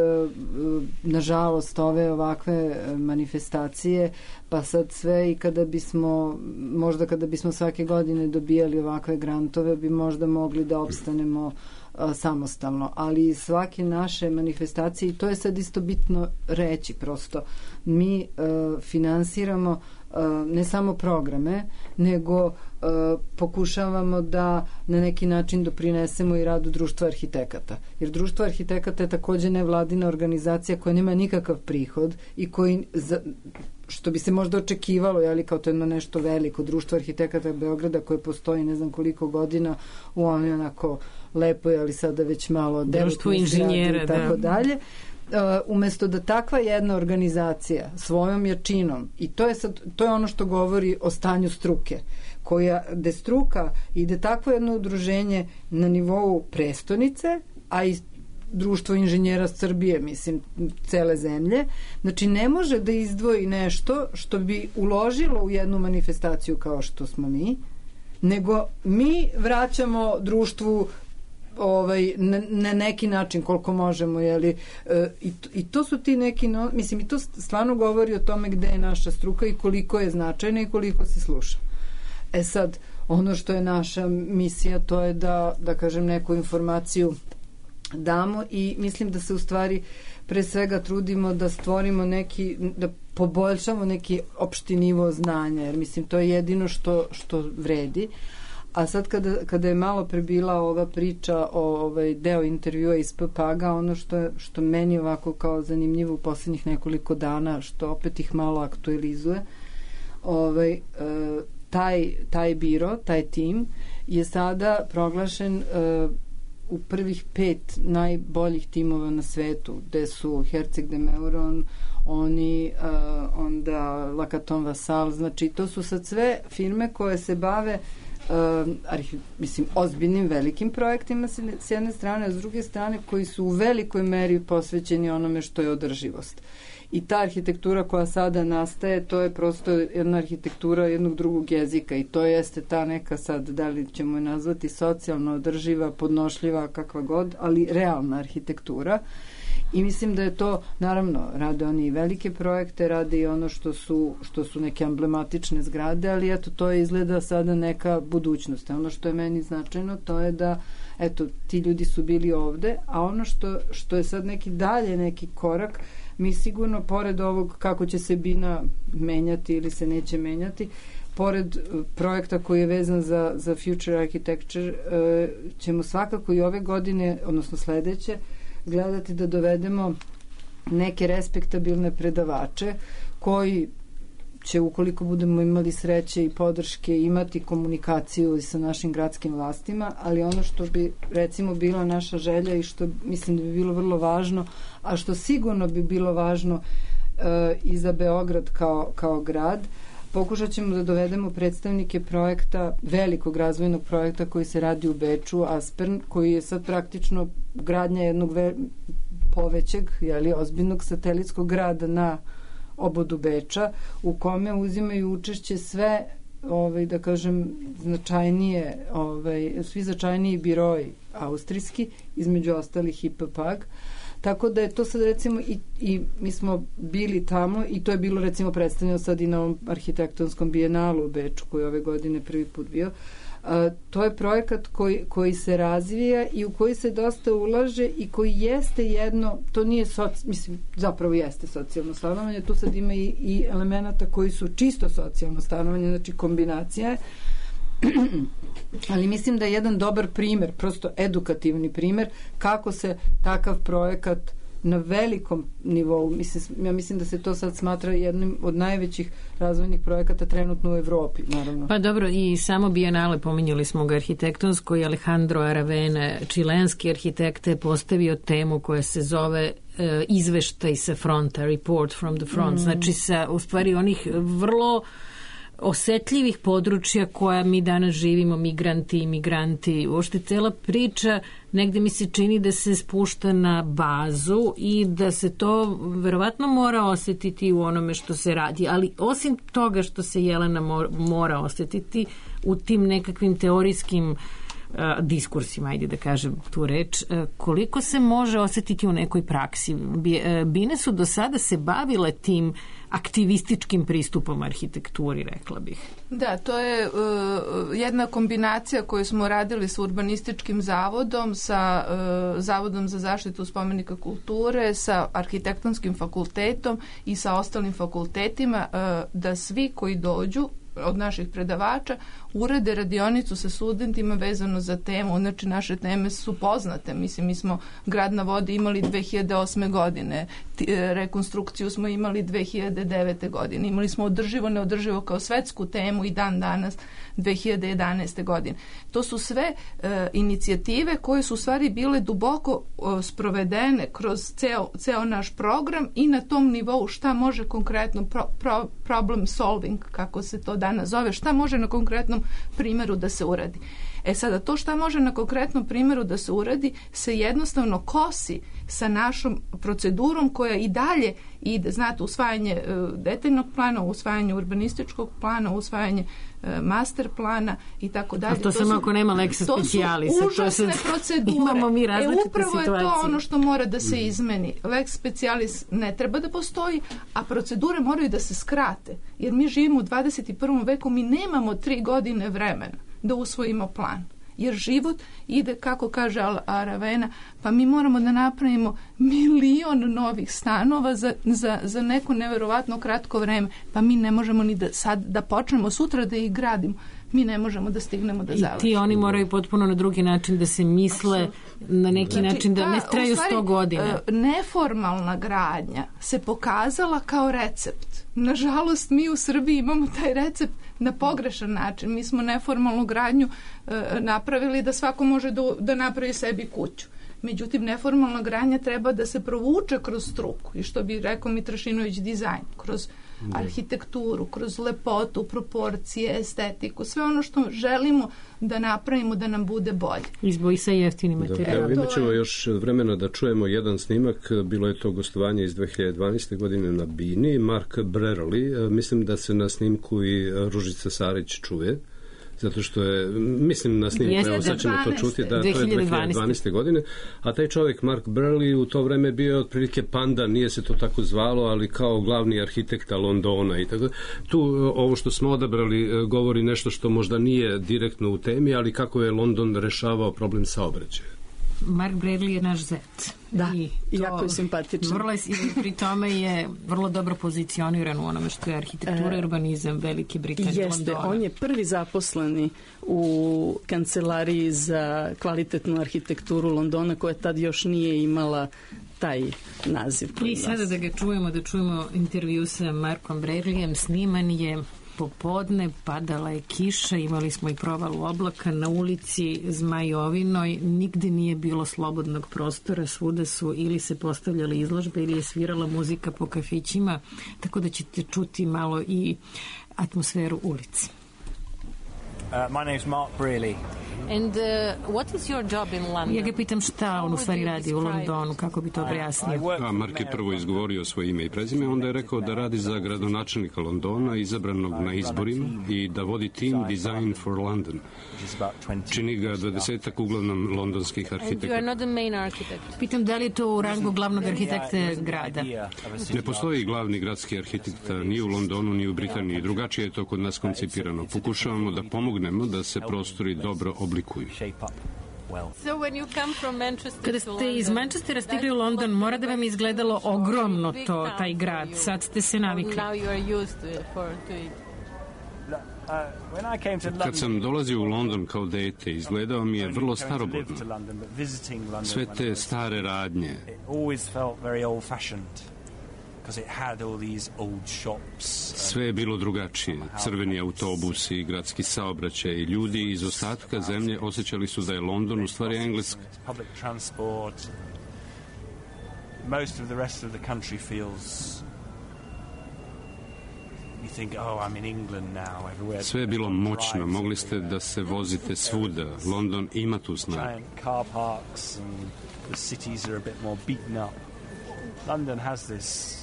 nažalost ove ovakve manifestacije, pa sad sve i kada bismo, možda kada bismo svake godine dobijali ovakve grantove, bi možda mogli da opstanemo a, samostalno, ali svake naše manifestacije, i to je sad isto bitno reći prosto, mi a, finansiramo a, ne samo programe, nego a, pokušavamo da na neki način doprinesemo i radu društva arhitekata. Jer društvo arhitekata je takođe nevladina organizacija koja nema nikakav prihod i koji, za, što bi se možda očekivalo, jeli, kao to jedno nešto veliko društvo arhitekata Beograda koje postoji ne znam koliko godina u onoj onako lepoj, ali sada već malo društvo inženjera i tako da. dalje. Uh, umesto da takva jedna organizacija svojom jačinom, i to je, sad, to je ono što govori o stanju struke, koja, gde struka ide takvo jedno udruženje na nivou prestonice, a i društvo inženjera Srbije, mislim, cele zemlje, znači ne može da izdvoji nešto što bi uložilo u jednu manifestaciju kao što smo mi, nego mi vraćamo društvu ovaj, na, na neki način koliko možemo, jeli, e, i, i to su ti neki, no, mislim, i to stvarno govori o tome gde je naša struka i koliko je značajna i koliko se sluša. E sad, ono što je naša misija, to je da, da kažem, neku informaciju damo i mislim da se u stvari pre svega trudimo da stvorimo neki, da poboljšamo neki opšti nivo znanja, jer mislim to je jedino što, što vredi. A sad kada, kada je malo prebila ova priča o ovaj deo intervjua iz P P A G-a, ono što, što meni ovako kao zanimljivo u poslednjih nekoliko dana, što opet ih malo aktualizuje, ovaj, e, taj, taj biro, taj tim je sada proglašen e, u prvih pet najboljih timova na svetu, gde su Herceg de Meuron, oni, uh, onda Lacaton Vassal, znači to su sad sve firme koje se bave uh, arhi, mislim, ozbiljnim velikim projektima s jedne strane, a s druge strane koji su u velikoj meri posvećeni onome što je održivost. I ta arhitektura koja sada nastaje, to je prosto jedna arhitektura jednog drugog jezika i to jeste ta neka sad, da li ćemo je nazvati socijalno održiva, podnošljiva, kakva god, ali realna arhitektura. I mislim da je to, naravno, rade oni i velike projekte, rade i ono što su, što su neke emblematične zgrade, ali eto, to je izgleda sada neka budućnost. Ono što je meni značajno, to je da, eto, ti ljudi su bili ovde, a ono što, što je sad neki dalje, neki korak, mi sigurno, pored ovog kako će se bina menjati ili se neće menjati, pored projekta koji je vezan za, za Future Architecture, ćemo svakako i ove godine, odnosno sledeće, gledati da dovedemo neke respektabilne predavače koji će, ukoliko budemo imali sreće i podrške, imati komunikaciju sa našim gradskim vlastima, ali ono što bi recimo bila naša želja i što mislim da bi bilo vrlo važno, a što sigurno bi bilo važno e, i za Beograd kao, kao grad, pokušat ćemo da dovedemo predstavnike projekta, velikog razvojnog projekta koji se radi u Beču, Aspern, koji je sad praktično gradnja jednog ve, povećeg, jeli, ozbiljnog satelitskog grada na obodu Beča, u kome uzimaju učešće sve, ovaj, da kažem, značajnije, ovaj, svi značajniji biroji austrijski, između ostalih i P P A G. Tako da je to sad recimo i, i mi smo bili tamo i to je bilo recimo predstavljeno sad i na ovom arhitektonskom bijenalu u Beču koji je ove godine prvi put bio. A, to je projekat koji, koji se razvija i u koji se dosta ulaže i koji jeste jedno, to nije soci, mislim, zapravo jeste socijalno stanovanje, tu sad ima i, i elemenata koji su čisto socijalno stanovanje, znači kombinacija je. Ali mislim da je jedan dobar primer, prosto edukativni primer, kako se takav projekat na velikom nivou, mislim, ja mislim da se to sad smatra jednim od najvećih razvojnih projekata trenutno u Evropi, naravno. Pa dobro, i samo Bienale, pominjali smo ga arhitektonsko, i Alejandro Aravena, čilenski arhitekta, je postavio temu koja se zove uh, izveštaj sa fronta, report from the front, mm. znači sa, u stvari, onih vrlo osetljivih područja koja mi danas živimo, migranti, imigranti, uopšte cela priča negde mi se čini da se spušta na bazu i da se to verovatno mora osetiti u onome što se radi, ali osim toga što se Jelena mora osetiti u tim nekakvim teorijskim uh, diskursima, ajde da kažem tu reč, uh, koliko se može osetiti u nekoj praksi. Bine su do sada se bavile tim aktivističkim pristupom arhitekturi, rekla bih. Da, to je uh, jedna kombinacija koju smo radili sa urbanističkim zavodom, sa uh, Zavodom za zaštitu spomenika kulture, sa arhitektonskim fakultetom i sa ostalim fakultetima, uh, da svi koji dođu od naših predavača urade radionicu sa studentima vezano za temu. Znači, naše teme su poznate. Mislim, mi smo Grad na vodi imali dve hiljade osme godine, rekonstrukciju smo imali dve hiljade devete godine. Imali smo održivo, neodrživo kao svetsku temu i dan danas dve hiljade jedanaeste godine. To su sve e, inicijative koje su u stvari bile duboko o, sprovedene kroz ceo, ceo naš program i na tom nivou šta može konkretno pro, pro, problem solving, kako se to danas zove, šta može na konkretnom primjeru da se uradi. E sada, to šta može na konkretnom primjeru da se uradi, se jednostavno kosi sa našom procedurom koja i dalje ide, znate, usvajanje detaljnog plana, usvajanje urbanističkog plana, usvajanje master plana i tako dalje. A to, to samo ako nema lex specialis. To su užasne procedure. Imamo mi različite e, upravo situacije. je to ono što mora da se izmeni. Lex specialis ne treba da postoji, a procedure moraju da se skrate. Jer mi živimo u dvadeset i prvom veku, mi nemamo tri godine vremena da usvojimo plan. Jer život ide, kako kaže Aravena, pa mi moramo da napravimo milion novih stanova za, za, za neko neverovatno kratko vreme, pa mi ne možemo ni da sad da počnemo sutra da ih gradimo, mi ne možemo da stignemo da završimo. I ti oni moraju potpuno na drugi način da se misle, na neki znači, način da ne traju sto godina. Neformalna gradnja se pokazala kao recept. Nažalost, mi u Srbiji imamo taj recept na pogrešan način. Mi smo neformalnu gradnju e, napravili da svako može da, da napravi sebi kuću. Međutim, neformalna gradnja treba da se provuče kroz struku i što bi rekao Mitrašinović dizajn, kroz arhitekturu, kroz lepotu, proporcije, estetiku, sve ono što želimo da napravimo da nam bude bolje. Izboji se jeftini materijal. Evo, imat ćemo još vremena da čujemo jedan snimak, bilo je to gostovanje iz dve hiljade dvanaeste. godine na Bini, Mark Brerli, mislim da se na snimku i Ružica Sarić čuje, zato što je, mislim na snimku, evo sad ćemo to čuti, da to je dve hiljade dvanaeste. godine, a taj čovjek Mark Brerli u to vreme bio otprilike panda, nije se to tako zvalo, ali kao glavni arhitekta Londona i tako. Tu ovo što smo odabrali govori nešto što možda nije direktno u temi, ali kako je London rešavao problem saobraćaja. Mark Bradley je naš zet. Da, i jako je simpatičan. Vrlo je, pri tome je vrlo dobro pozicioniran u onome što je arhitektura i e, urbanizam Velike Britanije. Jeste, Londona. On je prvi zaposleni u kancelariji za kvalitetnu arhitekturu Londona, koja tad još nije imala taj naziv. I sada da ga čujemo, da čujemo intervju sa Markom Bradleyem, sniman je popodne, padala je kiša, imali smo i provalu oblaka na ulici Zmajovinoj, nigde nije bilo slobodnog prostora, svuda su ili se postavljale izložbe ili je svirala muzika po kafićima, tako da ćete čuti malo i atmosferu ulici. Uh, my name's Mark Braley. And uh, what is your job in London? Ja ga pitam šta on u stvari radi u Londonu, kako bi to objasnio. A Mark je prvo izgovorio svoje ime i prezime, onda je rekao da radi za gradonačelnika Londona, izabranog na izborima, i da vodi tim Design for London. Čini ga dvadesetak uglavnom londonskih arhitekta. And you are not the main architect. Pitam da li je to u rangu glavnog arhitekta grada? Ne postoji glavni gradski arhitekta ni u Londonu, ni u Britaniji. Drugačije je to kod nas koncipirano. Pokušavamo da pomognemo da se prostori dobro oblikuju. Kada ste iz Manchestera stigli u London, mora da vam izgledalo ogromno to, taj grad. Sad ste se navikli. Kad sam dolazio u London kao dete, izgledao mi je vrlo starobodno. Sve te stare radnje. Sve je bilo drugačije. Crveni autobusi, gradski saobraćaj i ljudi iz ostatka zemlje osjećali su da je London u stvari Engleska. Most of the rest of the country feels you think, oh, I'm in England now, everywhere. Sve je bilo moćno, mogli ste da se vozite svuda. London ima tu snagu. Giant car parks and the cities are a bit more beaten up. London has this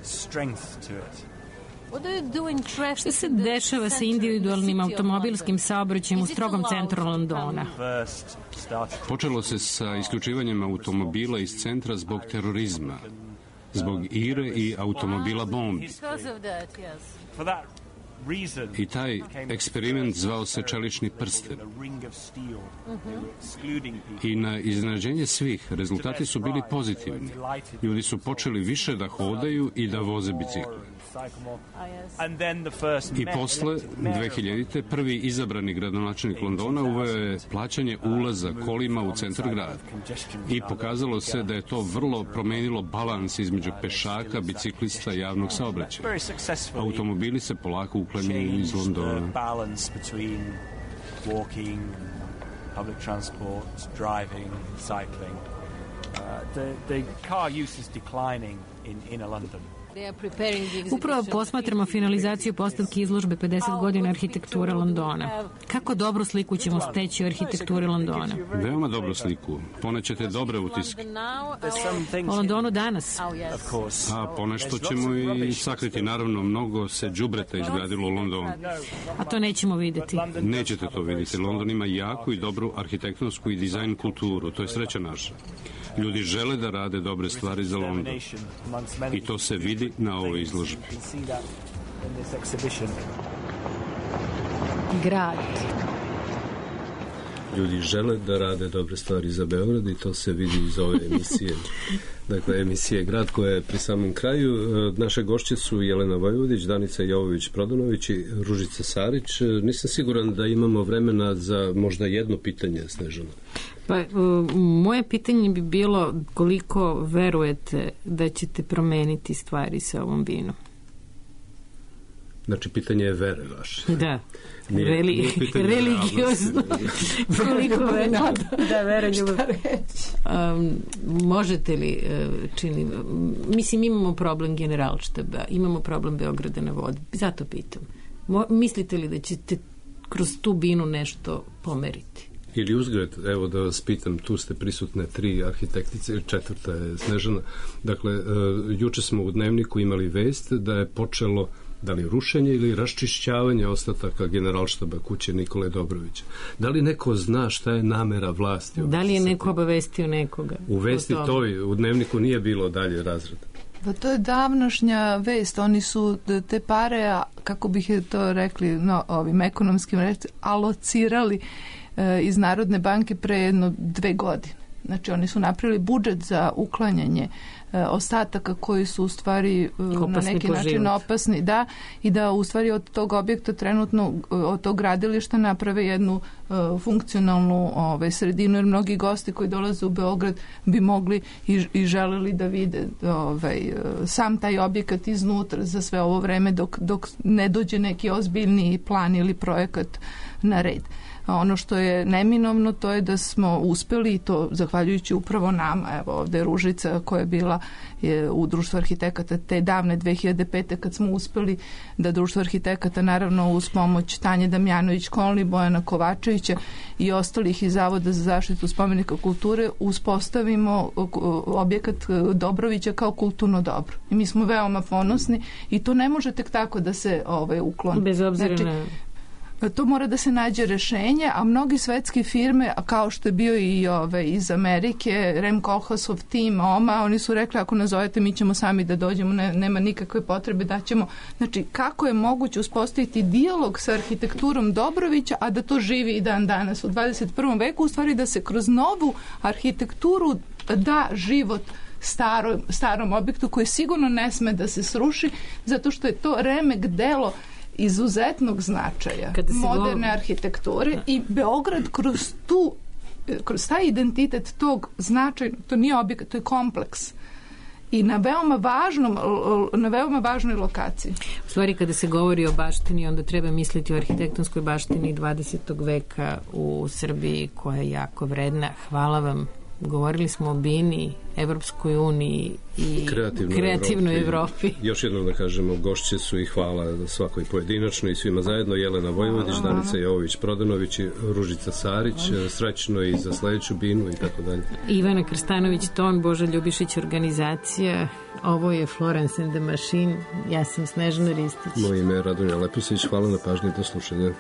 strength to it. Što se dešava sa individualnim automobilskim saobraćajem u strogom centru Londona? Počelo se sa isključivanjem automobila iz centra zbog terorizma, zbog ire i automobila bombi. I taj eksperiment zvao se čelični prsten. I na iznenađenje svih, rezultati su bili pozitivni. Ljudi su počeli više da hodaju i da voze bicikle. I posle, dve hiljadite. prvi izabrani gradonačelnik Londona uveo je plaćanje ulaza kolima u centar grada. I pokazalo se da je to vrlo promenilo balans između pešaka, biciklista i javnog saobraćaja. Automobili se polako uklanjaju iz Londona. Public transport, driving, cycling. Uh, the, the car use is declining in inner London. Upravo posmatramo finalizaciju postavke izložbe pedeset godina arhitekture Londona. Kako dobru sliku ćemo steći o arhitekturi Londona? Veoma dobru sliku. Ponećete dobre utiske. O Londonu danas? A ponešto ćemo i sakriti. Naravno, mnogo se đubreta izgradilo u Londonu. A to nećemo vidjeti. Nećete to vidjeti. London ima jaku i dobru arhitektonsku i dizajn kulturu. To je sreća naša. Ljudi žele da rade dobre stvari za London. I to se vidi na ovoj izložbi. Grad. Ljudi žele da rade dobre stvari za Beograd i to se vidi iz ove emisije. Dakle, emisije Grad koja je pri samom kraju. Naše gošće su Jelena Vojvodić, Danica Jovović-Prodanović i Ružica Sarić. Nisam siguran da imamo vremena za možda jedno pitanje, Snežana. Pa, moje pitanje bi bilo koliko verujete da ćete promeniti stvari sa ovom vinom? Znači, pitanje je vere vaše. Da. Nije, Reli, nije religiozno. Koliko vere? Da, vere ljubav. Um, možete li, čini, mislim, imamo problem Generalštaba, imamo problem Beograda na vodi. Zato pitam. Mo, mislite li da ćete kroz tu binu nešto pomeriti? Ili uzgled, evo da vas pitam, tu ste prisutne tri arhitektice, četvrta je Snežana. Dakle, uh, juče smo u Dnevniku imali vest da je počelo da li rušenje ili raščišćavanje ostataka Generalštaba kuće Nikole Dobrovića. Da li neko zna šta je namera vlasti? Da li je neko obavestio nekoga? U vesti toj, u Dnevniku nije bilo dalje razreda. Pa to je davnošnja vest. Oni su te pare, kako bih je to rekli, no, ovim ekonomskim reći, alocirali e, iz Narodne banke pre jedno dve godine. Znači, oni su napravili budžet za uklanjanje e, ostataka koji su u stvari e, na neki način život. opasni, da, i da u stvari od tog objekta trenutno, od tog gradilišta naprave jednu e, funkcionalnu ovaj, sredinu, jer mnogi gosti koji dolaze u Beograd bi mogli i, i želeli da vide ovaj, sam taj objekat iznutra za sve ovo vreme dok, dok ne dođe neki ozbiljni plan ili projekat na red. Ono što je neminovno, to je da smo uspeli, i to zahvaljujući upravo nama, evo ovde je Ružica koja je bila je, u Društvu arhitekata te davne dve hiljade pete kad smo uspeli da Društvo arhitekata, naravno uz pomoć Tanje Damjanović-Kolni, Bojana Kovačevića i ostalih iz Zavoda za zaštitu spomenika kulture, uspostavimo objekat Dobrovića kao kulturno dobro. I mi smo veoma ponosni i to ne može tek tako da se ovaj, ukloni. Bez obzira znači, na... To mora da se nađe rešenje, a mnogi svetske firme, kao što je bio i ove, iz Amerike, Rem Koolhaasov tim, O M A, oni su rekli ako nazovete mi ćemo sami da dođemo, ne, nema nikakve potrebe da ćemo. Znači, kako je moguće uspostaviti dijalog sa arhitekturom Dobrovića, a da to živi i dan danas u dvadeset prvom veku, u stvari da se kroz novu arhitekturu da život starom, starom objektu koji sigurno ne sme da se sruši, zato što je to remek delo izuzetnog značaja moderne arhitekture i Beograd kroz tu, kroz taj identitet tog značaja, to nije objekat, to je kompleks i na veoma važnom na veoma važnoj lokaciji. U stvari kada se govori o baštini, onda treba misliti o arhitektonskoj baštini dvadesetog veka u Srbiji koja je jako vredna. Hvala vam. Govorili smo o Bini, Evropskoj uniji i kreativnoj, kreativnoj Evropi. Evropi. Još jednom da kažemo, gošće su i hvala svakoj pojedinačno i svima zajedno. Jelena Vojvodić, Danica Jovović-Prodanović i Ružica Sarić. Srećno i za sledeću Binu i tako dalje. Ivana Krstanović-Ton, Boža Ljubišić organizacija. Ovo je Florence and the Machine. Ja sam Snežana Ristić. Moje ime je Radonja Lepusić. Hvala na pažnji, do slušanja.